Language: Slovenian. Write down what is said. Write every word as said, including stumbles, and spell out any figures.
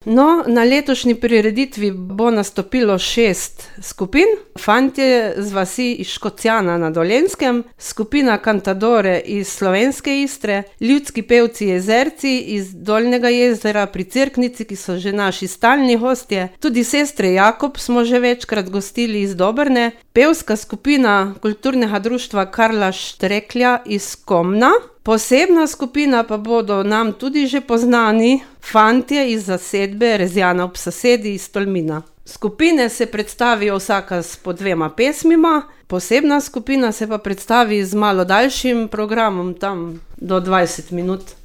No, na letošnji prireditvi bo nastopilo šest skupin. Fantje z vasi iz Škocjana na Dolenjskem, skupina Cantadore iz Slovenske Istre, ljudski pevci Jezerci iz Dolnjega Jezera pri Cerknici, ki so že naši stalni gostje, tudi sestre Jakob smo že večkrat gostili iz Dobrne, pevska skupina Kulturnega društva Karla Štreklja iz Komna, posebna skupina pa bodo nam tudi že poznani fantje iz zasedbe Rezjana ob Sasedi iz Tolmina. Skupine se predstavijo vsaka s po dvema pesmima, posebna skupina se pa predstavi z malo daljšim programom, tam do dvajset minut.